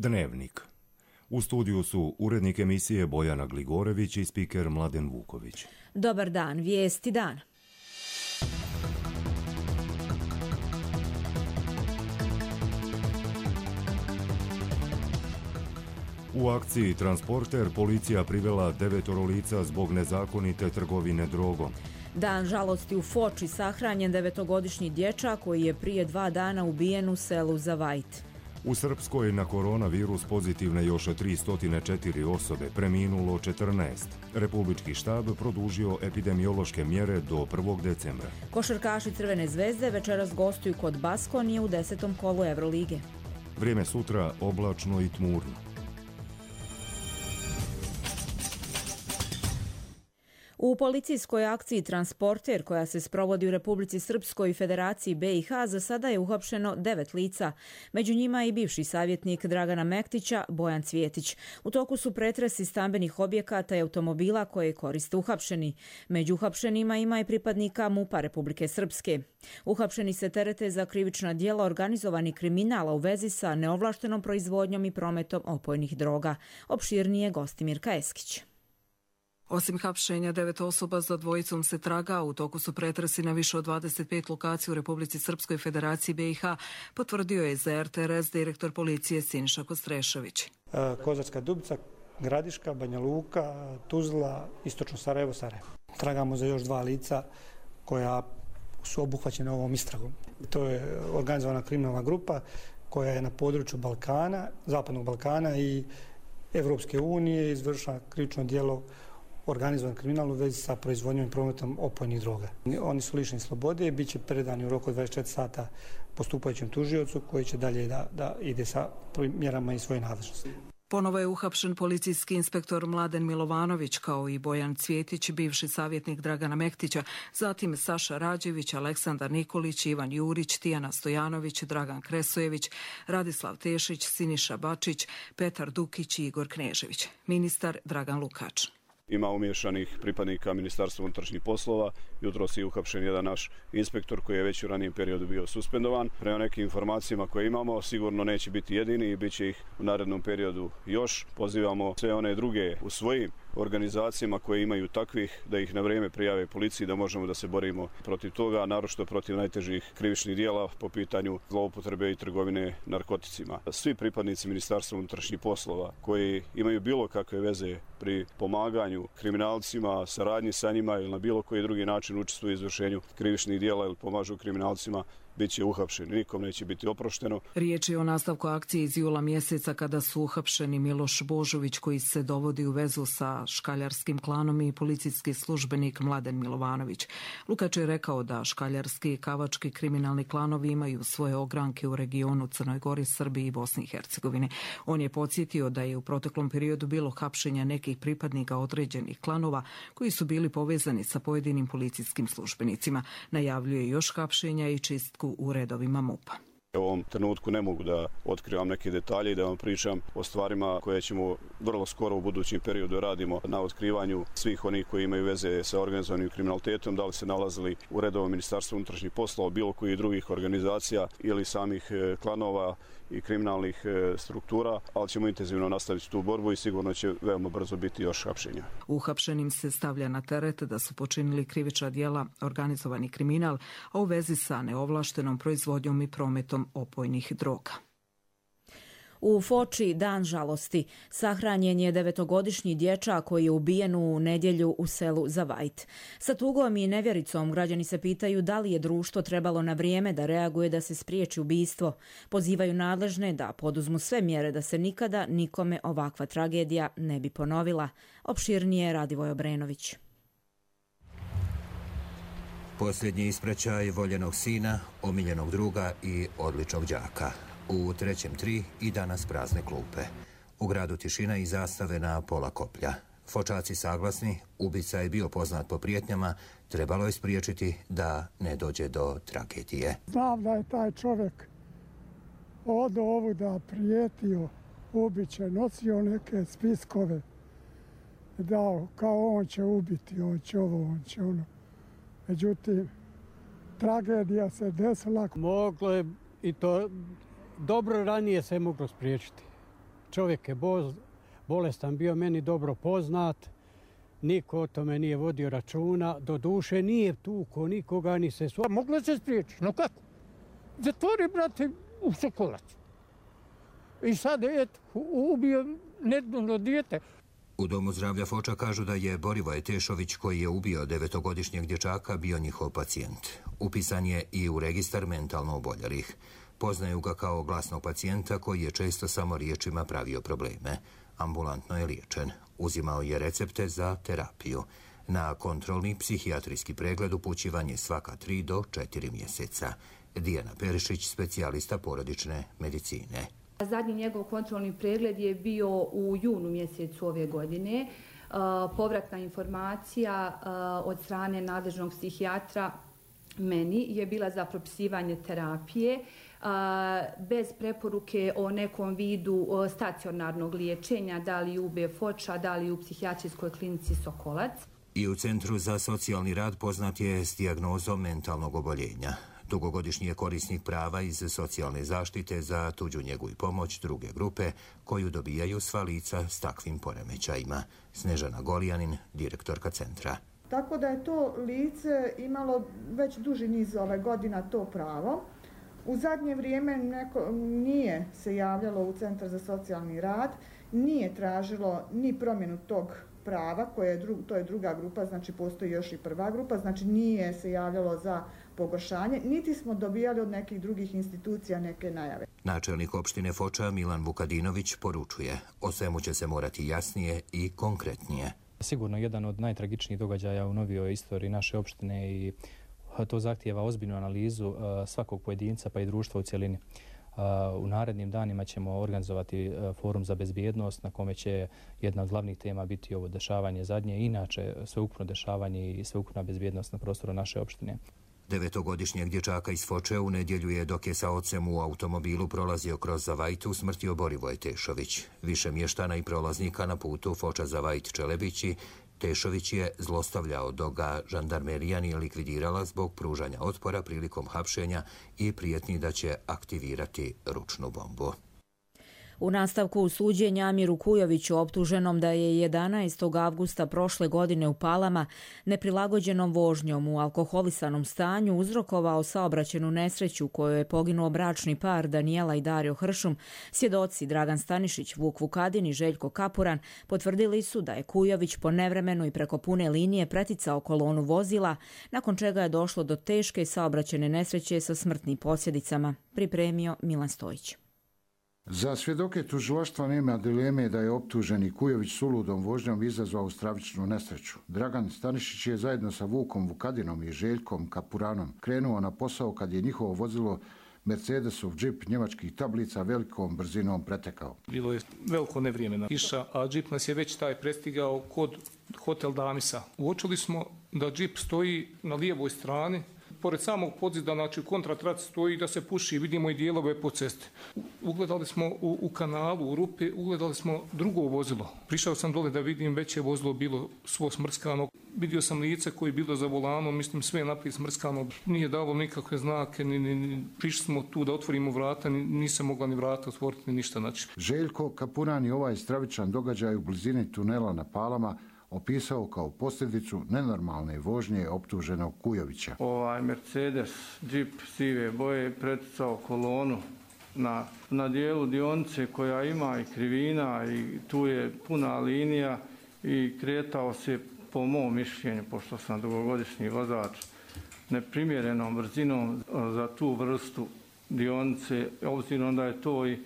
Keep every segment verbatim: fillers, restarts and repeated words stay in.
Dnevnik. U studiju su urednik emisije Bojana Gligorević i spiker Mladen Vuković. Dobar dan, vijesti dana. U akciji Transporter policija privela devetoro lica zbog nezakonite trgovine drogom. Dan žalosti u Foči, sahranjen devetogodišnji dječak koji je prije dva dana ubijen u selu Zavajt. U Srpskoj na koronavirus pozitivne još tri stotine četiri osobe, preminulo četrnaest. Republički štab produžio epidemiološke mjere do prvog decembra. Košarkaši Crvene zvezde večeras gostuju kod Baskonije u desetom kolu Evrolige. Vrijeme sutra oblačno i tmurno. U policijskoj akciji Transporter, koja se sprovodi u Republici Srpskoj i Federaciji B i H, za sada je uhapšeno devet lica. Među njima i bivši savjetnik Dragana Mektića, Bojan Cvjetić. U toku su pretresi stambenih objekata i automobila koje koriste uhapšeni. Među uhapšenima ima i pripadnika MUP-a Republike Srpske. Uhapšeni se terete za krivična djela organizovani kriminala u vezi sa neovlaštenom proizvodnjom i prometom opojnih droga. Opširnije Gostimirka Eskić. Osim hapšenja devet osoba, za dvojicom se traga, u toku su pretresi na više od dvadeset pet lokacija u Republici Srpskoj, Federaciji B i H, potvrdio je za R T R S direktor policije Siniša Kostrešović. Kozarska Dubica, Gradiška, Banja Luka, Tuzla, Istočno Sarajevo, Sarajevo. Tragamo za još dva lica koja su obuhvaćena ovom istragom. To je organizovana kriminalna grupa koja je na području Balkana, Zapadnog Balkana i Evropske unije izvršila krivično djelo organizovan kriminal u vezi sa proizvodnjom i prometom opojnih droga. Oni su lišeni slobode i bit će predani u roku od dvadeset četiri sata postupajućem tužiocu koji će dalje da, da ide sa mjerama i svoje nadležnosti. Ponovo je uhapšen policijski inspektor Mladen Milovanović kao i Bojan Cvjetić, bivši savjetnik Dragana Mektića, zatim Saša Rađević, Aleksandar Nikolić, Ivan Jurić, Tijana Stojanović, Dragan Kresojević, Radislav Tešić, Siniša Bačić, Petar Dukić i Igor Knežević. Ministar Dragan Lukač. Ima umješanih pripadnika Ministarstva unutrašnjih poslova. Jutros je uhapšen jedan naš inspektor koji je već u ranijem periodu bio suspendovan. Prema nekim informacijama koje imamo, sigurno neće biti jedini i bit će ih u narednom periodu još. Pozivamo sve one druge u svojim organizacijama koje imaju takvih da ih na vrijeme prijave policiji, da možemo da se borimo protiv toga, naročito protiv najtežih krivičnih djela po pitanju zloupotrebe i trgovine narkoticima. Svi pripadnici Ministarstva unutrašnjih poslova koji imaju bilo kakve veze pri pomaganju kriminalcima, saradnji sa njima ili na bilo koji drugi način učestvuju u izvršenju krivičnih djela ili pomažu kriminalcima, bit će uhapšeni. Nikom neće biti oprošteno. Riječ je o nastavku akcije iz jula mjeseca kada su uhapšeni Miloš Božović koji se dovodi u vezu sa škaljarskim klanom i policijski službenik Mladen Milovanović. Lukač je rekao da škaljarski i kavački kriminalni klanovi imaju svoje ogranke u regionu Crnoj Gori, Srbiji i Bosni i Hercegovini. On je podsjetio da je u proteklom periodu bilo hapšenja nekih pripadnika određenih klanova koji su bili povezani sa pojedinim policijskim službenicima. Najavljuje još hapšenja i čistku u redovima MUP-a. U ovom trenutku ne mogu da otkrivam neke detalje i da vam pričam o stvarima koje ćemo vrlo skoro u budućem periodu radimo na otkrivanju svih onih koji imaju veze sa organizovanim kriminalitetom, da li se nalazili u redovnom Ministarstvu unutrašnjih poslova, bilo koji drugih organizacija ili samih klanova i kriminalnih struktura, ali ćemo intenzivno nastaviti tu borbu i sigurno će veoma brzo biti još hapšenja. Uhapšenim se stavlja na teret da su počinili krivična djela, organizovani kriminal, a u vezi sa neovlaštenom proizvodnjom i prometom opojnih droga. U Foči dan žalosti. Sahranjen je devetogodišnji dječak koji je ubijen u nedjelju u selu Zavajt. Sa tugom i nevjericom građani se pitaju da li je društvo trebalo na vrijeme da reaguje da se spriječi ubistvo. Pozivaju nadležne da poduzmu sve mjere da se nikada nikome ovakva tragedija ne bi ponovila. Opširnije Radivoj Obrenović. Posljednji ispraćaj voljenog sina, omiljenog druga i odličnog đaka. U trećem tri i danas prazne klupe. U gradu tišina i zastave na pola koplja. Fočaci saglasni, ubica je bio poznat po prijetnjama, trebalo je spriječiti da ne dođe do tragedije. Znam da je taj čovjek od ovu da prijetio, ubiće, nosio neke spiskove, dao kao on će ubiti, on će ovo, on će ono. Međutim, tragedija se desila. Moglo je i to dobro ranije se moglo spriječiti. Čovjek je bolestan, bio meni dobro poznat. Niko o tome nije vodio računa. Do duše nije tuko nikoga, ni se sva. Moglo se spriječiti, no kako? Zatvori, brate, u Sokolac. I sad, eto, ubio nedavno dijete. U Domu zdravlja Foča kažu da je Borivoje Tešović, koji je ubio devetogodišnjeg dječaka, bio njihov pacijent. Upisan je i u registar mentalno oboljelih. Poznaju ga kao glasnog pacijenta koji je često samo riječima pravio probleme. Ambulantno je liječen. Uzimao je recepte za terapiju. Na kontrolni psihijatrijski pregled upućivan je svaka tri do četiri mjeseca. Dijana Perišić, specijalista porodične medicine. Zadnji njegov kontrolni pregled je bio u junu mjesecu ove godine. Povratna informacija od strane nadležnog psihijatra meni je bila za propisivanje terapije bez preporuke o nekom vidu stacionarnog liječenja, da li u B Foča, da li u psihijatrijskoj klinici Sokolac. I u Centru za socijalni rad poznat je s dijagnozom mentalnog oboljenja. Dugogodišnji je korisnik prava iz socijalne zaštite za tuđu njegu i pomoć druge grupe koju dobijaju sva lica s takvim poremećajima. Snežana Golijanin, direktorka centra. Tako da je to lice imalo već duži niz ove godina to pravo. U zadnje vrijeme neko nije se javljalo u Centar za socijalni rad, nije tražilo ni promjenu tog prava, koje je dru, to je druga grupa, znači postoji još i prva grupa, znači nije se javljalo za pogoršanje, niti smo dobijali od nekih drugih institucija neke najave. Načelnik opštine Foča Milan Vukadinović poručuje, o svemu će se morati jasnije i konkretnije. Sigurno jedan od najtragičnijih događaja u novijoj istoriji naše opštine i to zahtijeva ozbiljnu analizu svakog pojedinca pa i društva u cjelini. U narednim danima ćemo organizovati forum za bezbjednost na kome će jedna od glavnih tema biti ovo dešavanje zadnje, inače sveukupno dešavanje i sveukupna bezbjednost na prostoru naše opštine. Devetogodišnjeg dječaka iz Foče u nedjelju je, dok je sa ocem u automobilu prolazio kroz Zavajt, usmrtio Borivoje Tešović. Više mještana i prolaznika na putu Foča Zavajt Čelebići Tešović je zlostavljao, dok ga žandarmerija nije likvidirala zbog pružanja otpora prilikom hapšenja i prijetnji da će aktivirati ručnu bombu. U nastavku suđenja Amiru Kujoviću, optuženom da je jedanaestog avgusta prošle godine u Palama neprilagođenom vožnjom u alkoholisanom stanju uzrokovao saobraćajnu nesreću u kojoj je poginuo bračni par Danijela i Dario Hršum, svjedoci Dragan Stanišić, Vuk Vukadin i Željko Kapuran potvrdili su da je Kujović po nevremenu i preko pune linije preticao kolonu vozila, nakon čega je došlo do teške saobraćajne nesreće sa smrtnim posljedicama, pripremio Milan Stojić. Za svjedoke tužilaštva nema dileme da je optuženi Kujović suludom vožnjom izazvao stravičnu nesreću. Dragan Stanišić je zajedno sa Vukom Vukadinom i Željkom Kapuranom krenuo na posao kad je njihovo vozilo Mercedesov džip njemačkih tablica velikom brzinom pretekao. Bilo je veliko nevrijeme na kiša, a džip nas je već taj prestigao kod hotel Damisa. Uočili smo da džip stoji na lijevoj strani, pored samog podzida, znači u kontratraci stoji da se puši, vidimo i dijelove po cesti. Ugledali smo u, u kanalu, u rupi, ugledali smo drugo vozilo. Prišao sam dole da vidim, već je vozilo bilo svo smrskano. Vidio sam lice koje je bilo za volanom, mislim sve naprijed smrskano. Nije dalo nikakve znake, ni, ni, ni, prišli smo tu da otvorimo vrata, ni, nisam mogla ni vrata otvoriti, ni ništa. Znači. Željko Kapuran i ovaj stravičan događaj u blizini tunela na Palama opisao kao posljedicu nenormalne vožnje optuženog Kujovića. Ovaj Mercedes džip sive boje preticao kolonu na, na dijelu dionice koja ima i krivina i tu je puna linija i kretao se, po mom mišljenju, pošto sam dugogodišnji vozač, neprimjerenom brzinom za tu vrstu dionice, obzirom da je to i,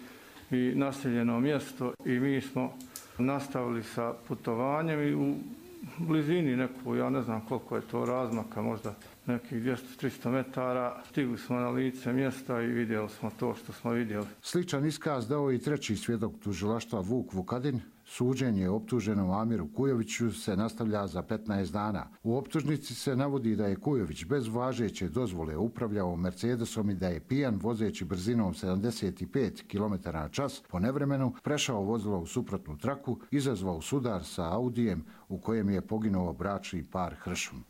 i naseljeno mjesto i mi smo nastavili sa putovanjem i u blizini neku, ja ne znam koliko je to razmaka, možda nekih dvjesto do tristo metara, stigli smo na lice mjesta i vidjeli smo to što smo vidjeli. Sličan iskaz dao i treći svjedok tužilaštva Vuk Vukadin. Suđenje optuženom Amiru Kujoviću se nastavlja za petnaest dana. U optužnici se navodi da je Kujović bez važeće dozvole upravljao Mercedesom i da je pijan vozeći brzinom sedamdeset pet kilometara na čas po nevremenu prešao vozilo u suprotnu traku, izazvao sudar sa Audijem u kojem je poginuo bračni par Hršum.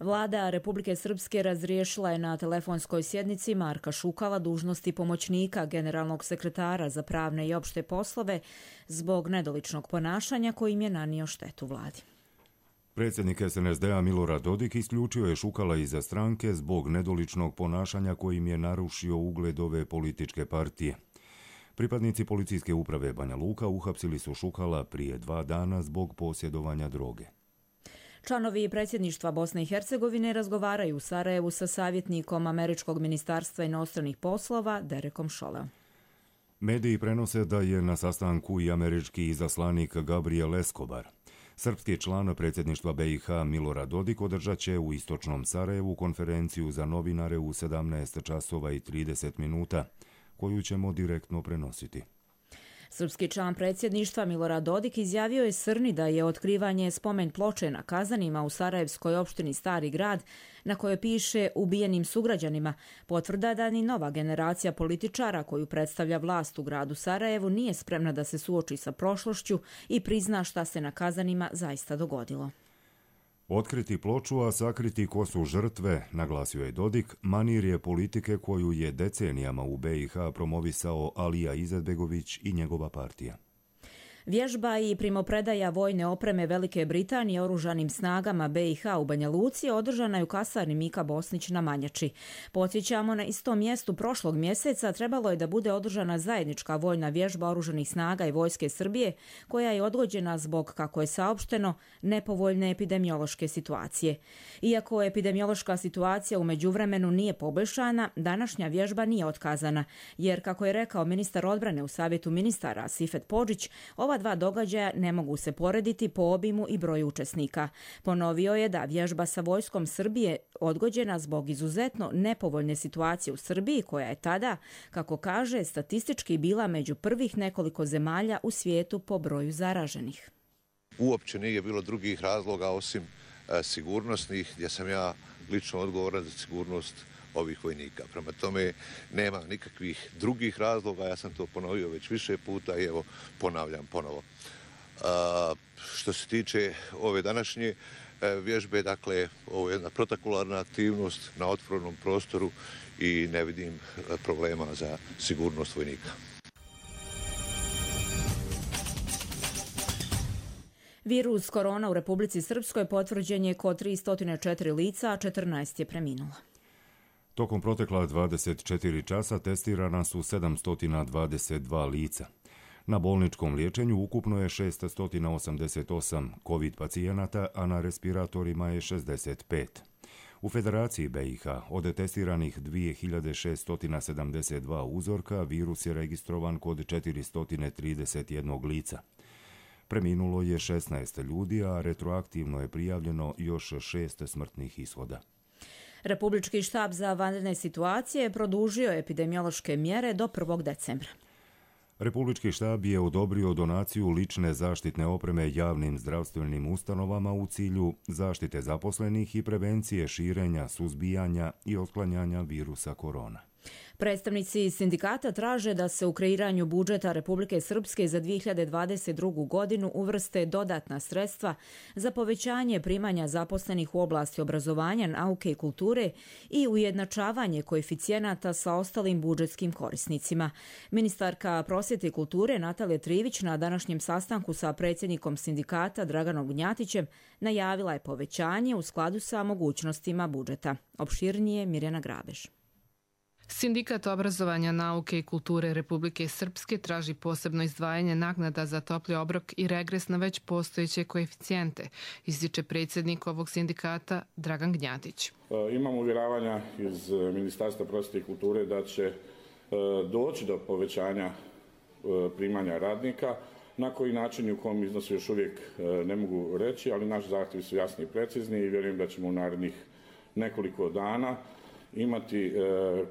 Vlada Republike Srpske razriješila je na telefonskoj sjednici Marka Šukala dužnosti pomoćnika generalnog sekretara za pravne i opšte poslove zbog nedoličnog ponašanja kojim je nanio štetu vladi. Predsjednik S N S D-a Milorad Dodik isključio je Šukala iza stranke zbog nedoličnog ponašanja kojim je narušio ugled ove političke partije. Pripadnici policijske uprave Banja Luka uhapsili su Šukala prije dva dana zbog posjedovanja droge. Članovi predsjedništva Bosne i Hercegovine razgovaraju u Sarajevu sa savjetnikom Američkog ministarstva inostranih poslova Derekom Šoleom. Mediji prenose da je na sastanku i američki izaslanik Gabriel Escobar. Srpski član predsjedništva B i H Milorad Dodik održat će u istočnom Sarajevu konferenciju za novinare u sedamnaest časova i trideset minuta, koju ćemo direktno prenositi. Srpski član predsjedništva Milorad Dodik izjavio je Srni da je otkrivanje spomen ploče na Kazanima u sarajevskoj opštini Stari grad, na kojoj piše ubijenim sugrađanima, potvrda da ni nova generacija političara koju predstavlja vlast u gradu Sarajevu nije spremna da se suoči sa prošlošću i prizna šta se na Kazanima zaista dogodilo. Otkriti ploču, a sakriti ko su žrtve, naglasio je Dodik, manir je politike koju je decenijama u B i H promovisao Alija Izetbegović i njegova partija. Vježba i primopredaja vojne opreme Velike Britanije oružanim snagama B i H u Banja Luci održana je u kasarni Mika Bosnić na Manjači. Podsjećamo, na istom mjestu prošlog mjeseca trebalo je da bude održana zajednička vojna vježba oružanih snaga i vojske Srbije, koja je odgođena zbog, kako je saopšteno, nepovoljne epidemiološke situacije. Iako epidemiološka situacija u međuvremenu nije poboljšana, današnja vježba nije otkazana, jer, kako je rekao ministar odbrane u Savjetu ministara Sifet Podžić, ova dva događaja ne mogu se porediti po obimu i broju učesnika. Ponovio je da vježba sa vojskom Srbije odgođena zbog izuzetno nepovoljne situacije u Srbiji, koja je tada, kako kaže, statistički bila među prvih nekoliko zemalja u svijetu po broju zaraženih. Uopće nije bilo drugih razloga osim e, sigurnosnih, gdje sam ja lično odgovoran za sigurnost ovih vojnika. Prema tome nema nikakvih drugih razloga, ja sam to ponovio već više puta i evo ponavljam ponovo. A, što se tiče ove današnje vježbe, dakle ovo je jedna protokolarna aktivnost na otvorenom prostoru i ne vidim problema za sigurnost vojnika. Virus korona u Republici Srpskoj potvrđen je kod tristo četiri lica, a četrnaest je preminulo. Tokom protekla dvadeset četiri časa testirana su sedamsto dvadeset dva lica. Na bolničkom liječenju ukupno je šeststo osamdeset osam COVID pacijenata, a na respiratorima je šezdeset pet. U Federaciji B i H od testiranih dvije hiljade šeststo sedamdeset dva uzorka virus je registrovan kod četiristo trideset jedan lica. Preminulo je šesnaest ljudi, a retroaktivno je prijavljeno još šest smrtnih ishoda. Republički štab za vanredne situacije produžio epidemiološke mjere do prvog decembra. Republički štab je odobrio donaciju lične zaštitne opreme javnim zdravstvenim ustanovama u cilju zaštite zaposlenih i prevencije širenja, suzbijanja i otklanjanja virusa korona. Predstavnici sindikata traže da se u kreiranju budžeta Republike Srpske za dvije hiljade dvadeset drugu godinu uvrste dodatna sredstva za povećanje primanja zaposlenih u oblasti obrazovanja, nauke i kulture i ujednačavanje koeficijenata sa ostalim budžetskim korisnicima. Ministarka prosvjete i kulture Natalija Trivić na današnjem sastanku sa predsjednikom sindikata Draganom Gnjatićem najavila je povećanje u skladu sa mogućnostima budžeta. Opširnije Mirjana Grabež. Sindikat obrazovanja, nauke i kulture Republike Srpske traži posebno izdvajanje naknada za topli obrok i regres na već postojeće koeficijente, ističe predsjednik ovog sindikata Dragan Gnjatić. Imamo uvjeravanja iz Ministarstva prosvjete i kulture da će doći do povećanja primanja radnika. Na koji način i u kom iznosu još uvijek ne mogu reći, ali naši zahtjevi su jasni i precizni i vjerujem da ćemo u narednih nekoliko dana imati e,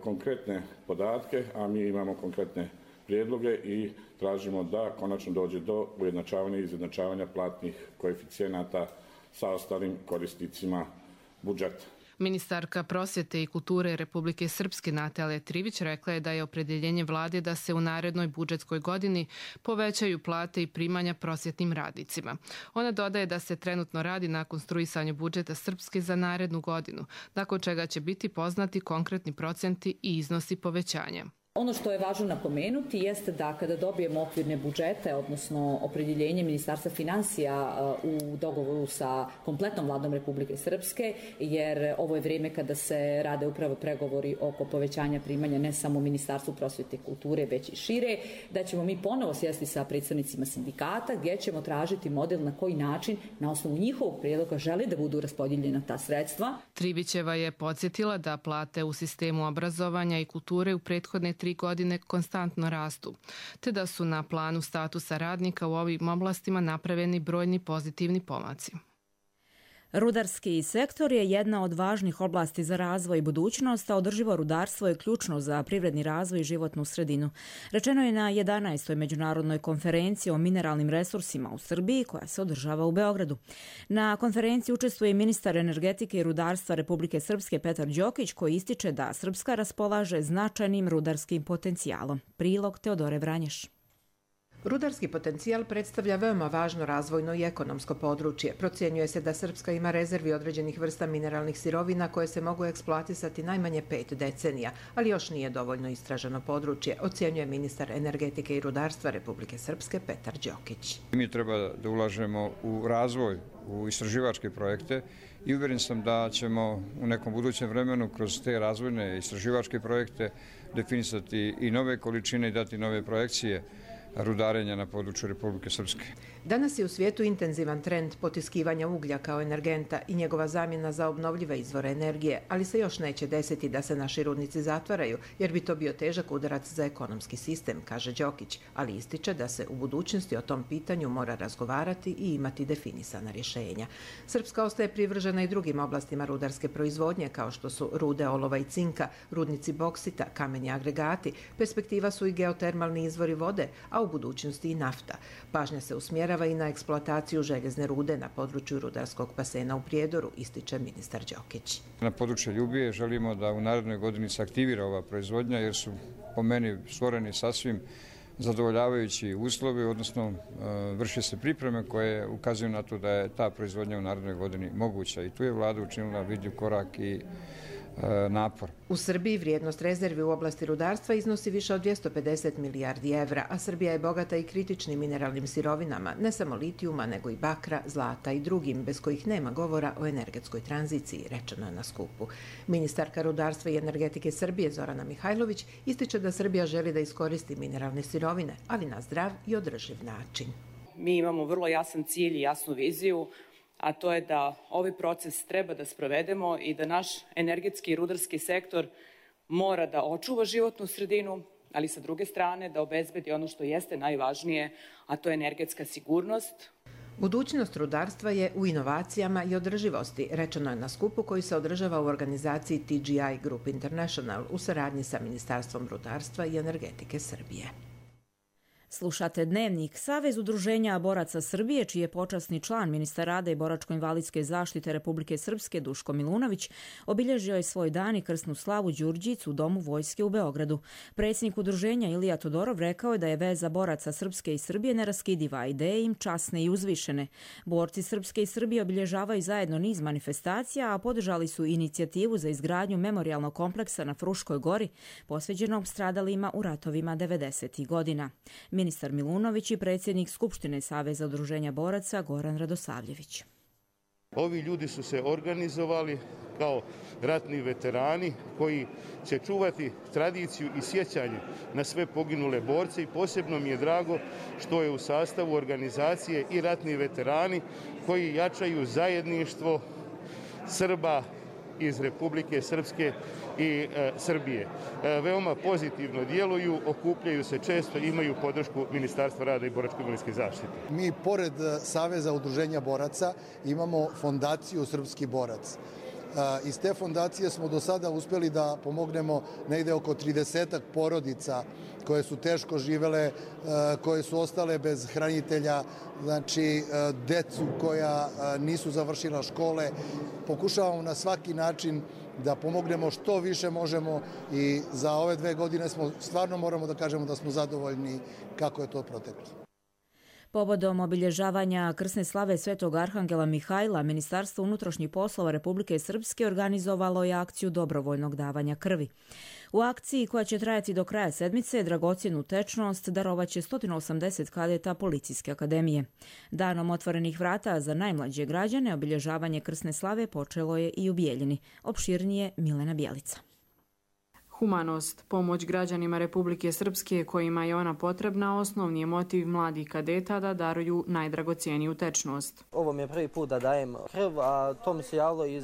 konkretne podatke, a mi imamo konkretne prijedloge i tražimo da konačno dođe do ujednačavanja i izjednačavanja platnih koeficijenata sa ostalim korisnicima budžeta. Ministarka prosvjete i kulture Republike Srpske Natalija Trivić rekla je da je opredjeljenje vlade da se u narednoj budžetskoj godini povećaju plate i primanja prosvjetnim radnicima. Ona dodaje da se trenutno radi na konstruisanju budžeta Srpske za narednu godinu, nakon čega će biti poznati konkretni procenti i iznosi povećanja. Ono što je važno napomenuti jeste da kada dobijemo okvirne budžete, odnosno opredjeljenje Ministarstva finansija u dogovoru sa kompletnom vladom Republike Srpske, jer ovo je vrijeme kada se rade upravo pregovori oko povećanja primanja ne samo Ministarstvu prosvjete i kulture, već i šire, da ćemo mi ponovo sjesti sa predstavnicima sindikata gdje ćemo tražiti model na koji način na osnovu njihovog prijedloga želi da budu raspodijeljena ta sredstva. Trivićeva je podsjetila da plate u sistemu obrazovanja i kulture u prethodne tri godine konstantno rastu, te da su na planu statusa radnika u ovim oblastima napravljeni brojni pozitivni pomaci. Rudarski sektor je jedna od važnih oblasti za razvoj i budućnost, a održivo rudarstvo je ključno za privredni razvoj i životnu sredinu. Rečeno je na jedanaestoj međunarodnoj konferenciji o mineralnim resursima u Srbiji, koja se održava u Beogradu. Na konferenciji učestvuje ministar energetike i rudarstva Republike Srpske Petar Đokić, koji ističe da Srpska raspolaže značajnim rudarskim potencijalom. Prilog Teodore Vranješ. Rudarski potencijal predstavlja veoma važno razvojno i ekonomsko područje. Procjenjuje se da Srpska ima rezervi određenih vrsta mineralnih sirovina koje se mogu eksploatisati najmanje pet decenija, ali još nije dovoljno istraženo područje, ocjenjuje ministar energetike i rudarstva Republike Srpske Petar Đokić. Mi treba da ulažemo u razvoj, u istraživačke projekte i uvjeren sam da ćemo u nekom budućem vremenu kroz te razvojne istraživačke projekte definisati i nove količine i dati nove projekcije rudarenja na području Republike Srpske. Danas je u svijetu intenzivan trend potiskivanja uglja kao energenta i njegova zamjena za obnovljive izvore energije, ali se još neće desiti da se naši rudnici zatvaraju, jer bi to bio težak udarac za ekonomski sistem, kaže Đokić, ali ističe da se u budućnosti o tom pitanju mora razgovarati i imati definisana rješenja. Srpska ostaje privržena i drugim oblastima rudarske proizvodnje, kao što su rude olova i cinka, rudnici boksita, kameni agregati, perspektiva su i geotermalni izvori vode, a u budućnosti i nafta. Pažnja se usmjerava i na eksploataciju željezne rude na području rudarskog basena u Prijedoru, ističe ministar Đokić. Na području Ljubije želimo da u narednoj godini se aktivira ova proizvodnja, jer su po meni stvoreni sasvim zadovoljavajući uslovi, odnosno vrše se pripreme koje ukazuju na to da je ta proizvodnja u narednoj godini moguća. I tu je vlada učinila vidljiv korak i napor. U Srbiji vrijednost rezervi u oblasti rudarstva iznosi više od dvjesto pedeset milijardi evra, a Srbija je bogata i kritičnim mineralnim sirovinama, ne samo litijuma, nego i bakra, zlata i drugim, bez kojih nema govora o energetskoj tranziciji, rečeno je na skupu. Ministarka rudarstva i energetike Srbije Zorana Mihajlović ističe da Srbija želi da iskoristi mineralne sirovine, ali na zdrav i održiv način. Mi imamo vrlo jasan cilj i jasnu viziju, a to je da ovaj proces treba da sprovedemo i da naš energetski i rudarski sektor mora da očuva životnu sredinu, ali sa druge strane da obezbedi ono što jeste najvažnije, a to je energetska sigurnost. Budućnost rudarstva je u inovacijama i održivosti, rečeno je na skupu koji se održava u organizaciji T G I Group International u saradnji sa Ministarstvom rudarstva i energetike Srbije. Slušate Dnevnik. Savez udruženja boraca Srbije, čiji je počasni član ministar rada i boračko-invalidske zaštite Republike Srpske Duško Milunović, obilježio je svoj dan i krsnu slavu Đurđic u Domu vojske u Beogradu. Predsjednik udruženja Ilija Todorov rekao je da je veza boraca Srpske i Srbije neraskidiva, ideje im časne i uzvišene. Borci Srpske i Srbije obilježavaju zajedno niz manifestacija, a podržali su inicijativu za izgradnju memorijalnog kompleksa na Fruškoj gori, posvećenog stradalima u ratovima devedesetih godina. Ministar Milunović i predsjednik Skupštine Saveza udruženja boraca Goran Radosavljević. Ovi ljudi su se organizovali kao ratni veterani koji će čuvati tradiciju i sjećanje na sve poginule borce i posebno mi je drago što je u sastavu organizacije i ratni veterani koji jačaju zajedništvo Srba iz Republike Srpske i e, Srbije. E, veoma pozitivno djeluju, okupljaju se često, imaju podršku Ministarstva rada i boračko-invalidske zaštite. Mi, pored Saveza udruženja boraca, imamo fondaciju Srpski borac. Iz te fondacije smo do sada uspjeli da pomognemo negde oko tridesetak porodica koje su teško živele, koje su ostale bez hranitelja, znači decu koja nisu završila škole. Pokušavamo na svaki način da pomognemo što više možemo i za ove dve godine smo stvarno moramo da kažemo da smo zadovoljni kako je to proteklo. Povodom obilježavanja krsne slave Svetog Arhangela Mihajla, Ministarstvo unutrašnjih poslova Republike Srpske organizovalo je akciju dobrovoljnog davanja krvi. U akciji, koja će trajati do kraja sedmice, dragocjenu tečnost darovaće sto osamdeset kadeta Policijske akademije. Danom otvorenih vrata za najmlađe građane obilježavanje krsne slave počelo je i u Bijeljini. Opširnije Milena Bjelica. Humanost, pomoć građanima Republike Srpske kojima je ona potrebna, osnovni je motiv mladih kadeta da daruju najdragocijeniju tečnost. Ovo mi je prvi put da dajem krv, a to mi se javilo iz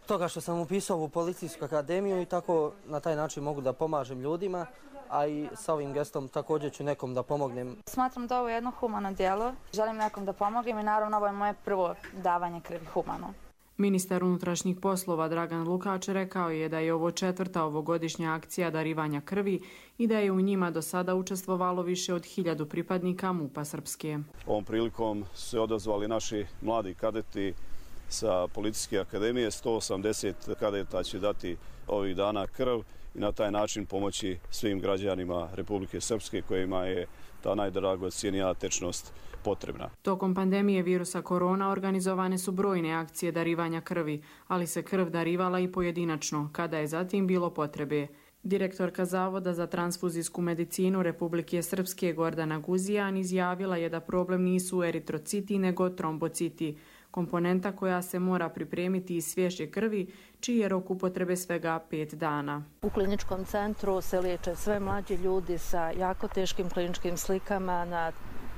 toga što sam upisao u Policijsku akademiju i tako na taj način mogu da pomažem ljudima, a i sa ovim gestom također ću nekom da pomognem. Smatram da ovo je jedno humano djelo, želim nekom da pomognem i naravno ovo je moje prvo davanje krvi humano. Ministar unutrašnjih poslova Dragan Lukač rekao je da je ovo četvrta ovogodišnja akcija darivanja krvi i da je u njima do sada učestvovalo više od hiljadu pripadnika MUP-a Srpske. Ovom prilikom su se odazvali naši mladi kadeti sa Policijske akademije. sto osamdeset kadeta će dati ovih dana krv i na taj način pomoći svim građanima Republike Srpske kojima je ta najdragocijenija tečnost potrebna. Tokom pandemije virusa korona organizovane su brojne akcije darivanja krvi, ali se krv darivala i pojedinačno, kada je zatim bilo potrebe. Direktorka Zavoda za transfuzijsku medicinu Republike Srpske Gordana Guzijan izjavila je da problem nisu eritrociti nego trombociti, komponenta koja se mora pripremiti iz svježe krvi, čiji je rok upotrebe svega pet dana. U kliničkom centru se liječe sve mlađi ljudi sa jako teškim kliničkim slikama, na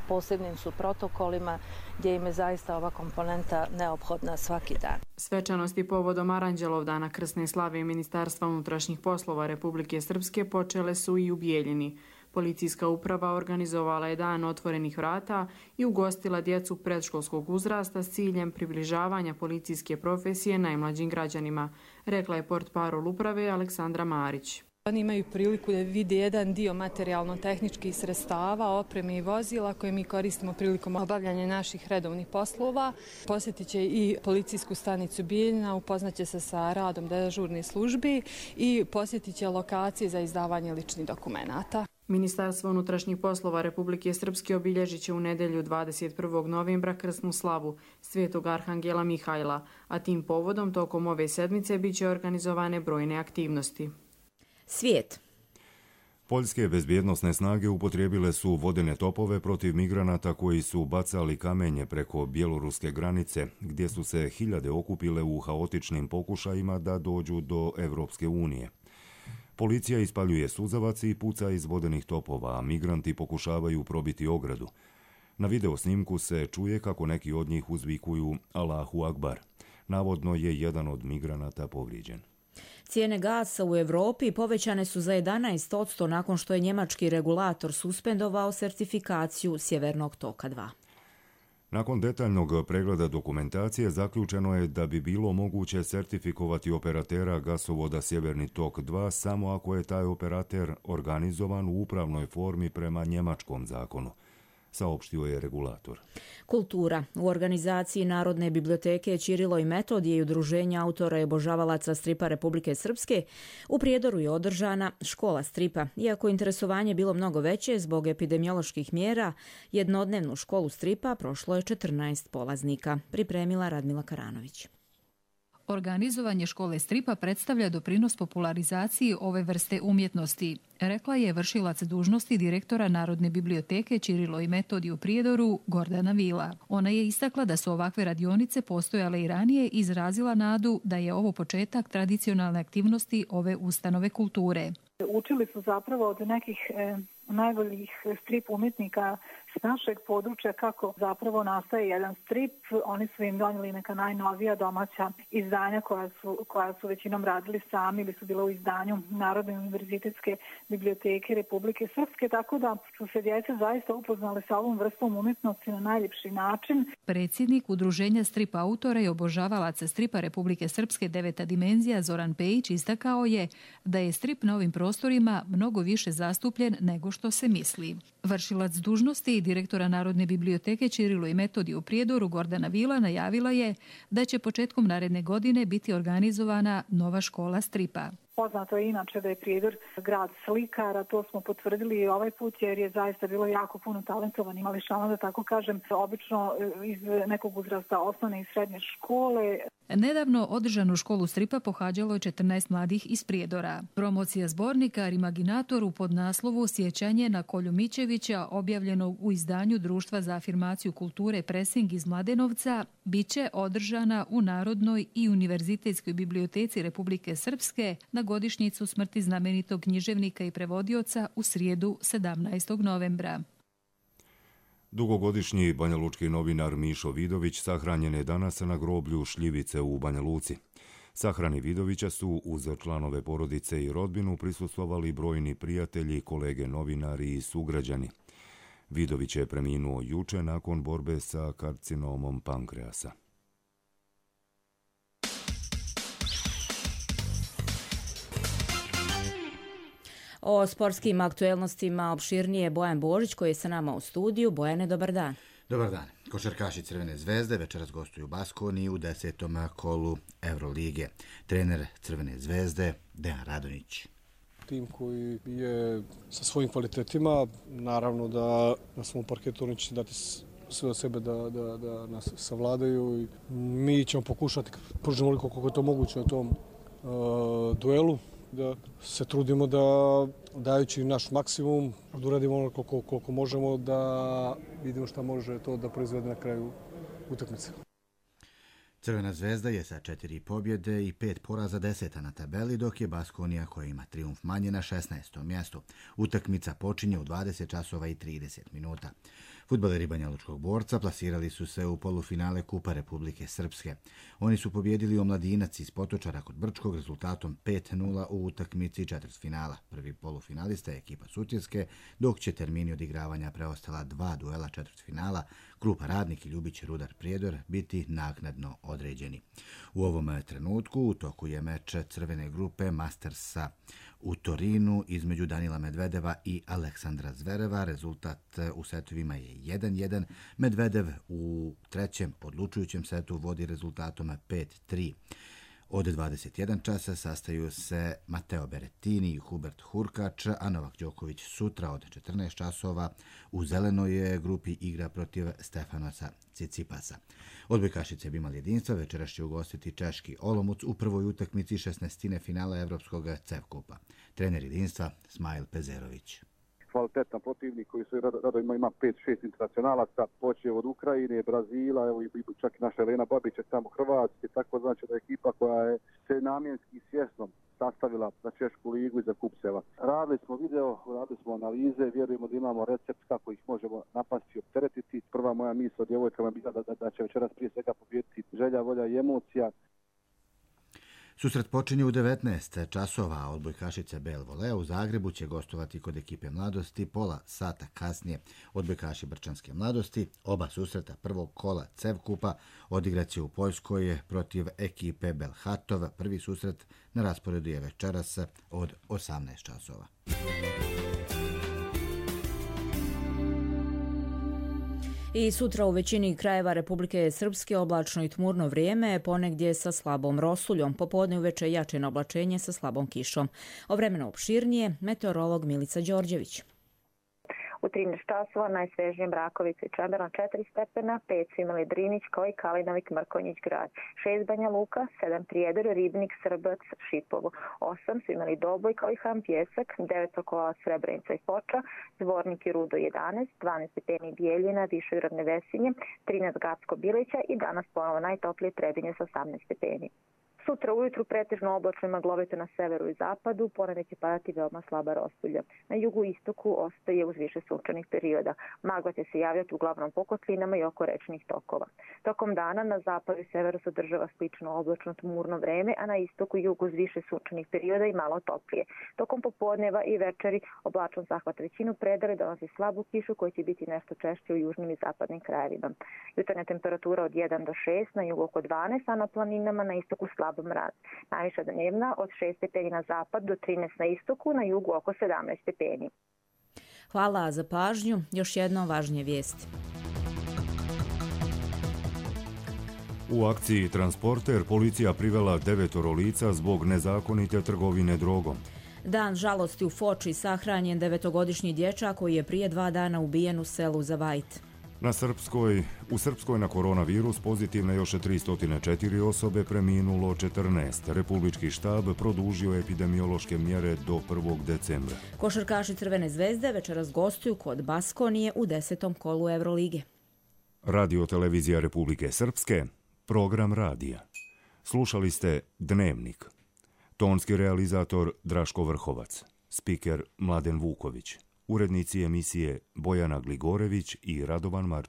posebnim su protokolima gdje im je zaista ova komponenta neophodna svaki dan. Svečanosti povodom Aranđelov dana krsne slave Ministarstva unutrašnjih poslova Republike Srpske počele su i u Bijeljini. Policijska uprava organizovala je dan otvorenih vrata i ugostila djecu predškolskog uzrasta s ciljem približavanja policijske profesije najmlađim građanima, rekla je portparol uprave Aleksandra Marić. Oni imaju priliku da vide jedan dio materijalno-tehničkih sredstava, opreme i vozila koje mi koristimo prilikom obavljanja naših redovnih poslova. Posjetit će i policijsku stanicu Bijeljina, upoznaće se sa radom dežurne službi i posjetit će lokacije za izdavanje ličnih dokumenata. Ministarstvo unutrašnjih poslova Republike Srpske obilježit će u nedjelju dvadeset prvog novembra krsnu slavu Svetog Arhangela Mihajla, a tim povodom tokom ove sedmice bit će organizovane brojne aktivnosti. Svijet. Poljske bezbjednosne snage upotrijebile su vodene topove protiv migranata koji su bacali kamenje preko bjeloruske granice, gdje su se hiljade okupile u haotičnim pokušajima da dođu do Evropske unije. Policija ispaljuje suzavac i puca iz vodenih topova, a migranti pokušavaju probiti ogradu. Na video snimku se čuje kako neki od njih uzvikuju Allahu Akbar. Navodno je jedan od migranata povrijeđen. Cijene gasa u Europi povećane su za jedanaest posto nakon što je njemački regulator suspendovao sertifikaciju Sjevernog toka dva. Nakon detaljnog pregleda dokumentacije zaključeno je da bi bilo moguće sertifikovati operatera gasovoda Sjeverni tok dva samo ako je taj operater organizovan u upravnoj formi prema njemačkom zakonu, saopštio je regulator. Kultura. U organizaciji Narodne biblioteke Ćirilo i Metodije i Udruženja autora i obožavalaca stripa Republike Srpske u Prijedoru je održana škola stripa. Iako interesovanje bilo mnogo veće zbog epidemioloških mjera, jednodnevnu školu stripa prošlo je četrnaest polaznika, pripremila Radmila Karanović. Organizovanje škole stripa predstavlja doprinos popularizaciji ove vrste umjetnosti, rekla je vršilac dužnosti direktora Narodne biblioteke Ćirilo i Metodije u Prijedoru Gordana Vila. Ona je istakla da su ovakve radionice postojale i ranije i izrazila nadu da je ovo početak tradicionalne aktivnosti ove ustanove kulture. Učili su zapravo od nekih e, najboljih strip umjetnika s našeg područja kako zapravo nastaje jedan strip. Oni su im donijeli neka najnovija domaća izdanja koja su, koja su većinom radili sami ili su bila u izdanju Narodne univerzitetske biblioteke Republike Srpske, tako da su se djeca zaista upoznali sa ovom vrstom umjetnosti na najljepši način. Predsjednik Udruženja strip autora i obožavalaca stripa Republike Srpske Deveta dimenzija Zoran Pejić istakao je da je strip na ovim prostorima mnogo više zastupljen nego što se misli. Vršilac dužnosti i direktora Narodne biblioteke Ćirilo i Metodij u Prijedoru Gordana Vila najavila je da će početkom naredne godine biti organizovana nova škola stripa. Poznato je inače da je Prijedor grad slikara, to smo potvrdili i ovaj put jer je zaista bilo jako puno talentovanih mališana, da tako kažem, obično iz nekog uzrasta osnovne i srednje škole. Nedavno održanu školu stripa pohađalo je četrnaest mladih iz Prijedora. Promocija zbornika Rimaginator pod naslovu Sjećanje na Kolju Mićevića, objavljenog u izdanju Društva za afirmaciju kulture Presing iz Mladenovca, biće održana u Narodnoj i Univerzitetskoj biblioteci Republike Srpske na godišnjicu smrti znamenitog književnika i prevodioca u srijedu sedamnaestog novembra. Dugogodišnji banjalučki novinar Mišo Vidović sahranjen je danas na groblju Šljivice u Banja Luci. Sahrani Vidovića su uz članove porodice i rodbinu prisustvovali brojni prijatelji, kolege novinari i sugrađani. Vidović je preminuo juče nakon borbe sa karcinomom pankreasa. O sportskim aktuelnostima opširnije Bojan Božić koji je sa nama u studiju. Bojane, dobar dan. Dobar dan. Košarkaši Crvene zvezde večeras gostuju u Baskoniji u desetom kolu Eurolige. Trener Crvene zvezde Dejan Radonjić. Tim koji je sa svojim kvalitetima, naravno da na svom parketu oni će dati sve od sebe da, da, da nas savladaju. Mi ćemo pokušati, pružimo koliko koliko je to moguće na tom uh, duelu, da se trudimo da, dajući naš maksimum, da uradimo ono koliko, koliko možemo, da vidimo šta može to da proizvede na kraju utakmice. Crvena zvezda je sa četiri pobjede i pet poraza deseta na tabeli, dok je Baskonija koja ima trijumf manje na šesnaestom mjestu. Utakmica počinje u dvadeset časova i trideset minuta. Fudbaleri Banjalučkog Borca plasirali su se u polufinale Kupa Republike Srpske. Oni su pobjedili Omladinac iz Potočara kod Brčkog rezultatom pet nula u utakmici četvrtfinala. Prvi polufinalista je ekipa Sutjeske, dok će termini odigravanja preostala dva duela četvrtfinala, Krupa Radnik i Ljubić Rudar Prijedor, biti naknadno određeni. U ovom trenutku u toku je meč crvene grupe Mastersa u Torinu između Danila Medvedeva i Aleksandra Zvereva. Rezultat u setovima je jedan jedan. Medvedev u trećem odlučujućem setu vodi rezultatom pet tri. Od dvadeset jedan časa sastaju se Mateo Berettini i Hubert Hurkač, a Novak Đoković sutra od četrnaest časova u zelenoj grupi igra protiv Stefanosa Cicipasa. Odbojkašice bi imali jedinstva, večeras će ugostiti češki Olomouc u prvoj utakmici šesnaestine finala Evropskog CEV kupa. Trener jedinstva Smajl Pezerović. Kvalitetan protivnik koji su rado ima, ima pet šest internacionalaca, počeo od Ukrajine, Brazila, evo i čak i naša Elena Babić je tamo Hrvatske, tako znači da je ekipa koja je se namjenski i svjesno sastavila za Češku ligu i za kup Seva. Radili smo video, radili smo analize, vjerujemo da imamo recept kako ih možemo napasti i opteretiti. Prva moja misla djevojkama bila da, da, da će večeras prije svega pobjediti želja, volja i emocija. Susret počinje u devetnaest časova, a odbojkašice Bel Volea u Zagrebu će gostovati kod ekipe Mladosti. Pola sata kasnije odbojkaši Brčanske Mladosti. Oba susreta prvog kola CEV kupa odigrat će u Poljskoj protiv ekipe Belhatov. Prvi susret na rasporedu je večeras od osamnaest časova. I sutra u većini krajeva Republike Srpske oblačno i tmurno vrijeme, ponegdje sa slabom rosuljom, popodne uveče jače oblačenje sa slabom kišom. O vremenu opširnije, meteorolog Milica Đorđević. U trinaest časova najsvežnije Brakovica i Čemerlan četiri stepena, pet su imali Drinić kao i Kalinovik, Mrkonjić grad, šest Banja Luka, sedam Prijedor, Ribnik, Srbac, Šipovo, osam su imali Doboj kao i Ham Pjesak, devet Sokolac, Srebrenica i Foča, Zvornik i Rudo jedanaest, dvanaest stepeni Bijeljina, Višegradne Vesinje, trinaest Gacko Bilića i danas ponovo najtoplije Trebinje sa osamnaest stepeni. Sutra ujutru pretežno oblačno i maglovito na severu i zapadu, ponegdje će padati veoma slaba rospulja. Na jugu i istoku ostaje uz više sunčanih perioda. Magla će se javljati uglavnom po kotlinama i oko rečnih tokova. Tokom dana na zapadu i severu se održava slično oblačno tmurno vreme, a na istoku i jugu uz više sunčanih perioda i malo toplije. Tokom popodneva i večeri oblačan zahvat većinu predale donosi slabu kišu koja će biti nešto češće u južnim i zapadnim krajevima. Jutarnja temperatura od jedan do šest, na jugu oko dvanaest, a na planinama na istoku slab mraz. Najviša dnevna od šest stepeni na zapad do trinaest na istoku, na jugu oko sedamnaest stepeni. Hvala za pažnju. Još jedno važnije vijesti. U akciji Transporter policija privela devetoro lica zbog nezakonite trgovine drogom. Dan žalosti u Foči, sahranjen devetogodišnji dječak koji je prije dva dana ubijen u selu Zavajt. Na Srpskoj, u Srpskoj na koronavirus pozitivne još tristo četiri osobe, preminulo četrnaest. Republički štab produžio epidemiološke mjere do prvog decembra. Košarkaši Crvene zvezde večeras gostuju kod Baskonije u desetom kolu Evrolige. Radio televizija Republike Srpske, program radija. Slušali ste Dnevnik. Tonski realizator Draško Vrhovac, spiker Mladen Vuković, urednici emisije Bojana Gligorević i Radovan Marčević.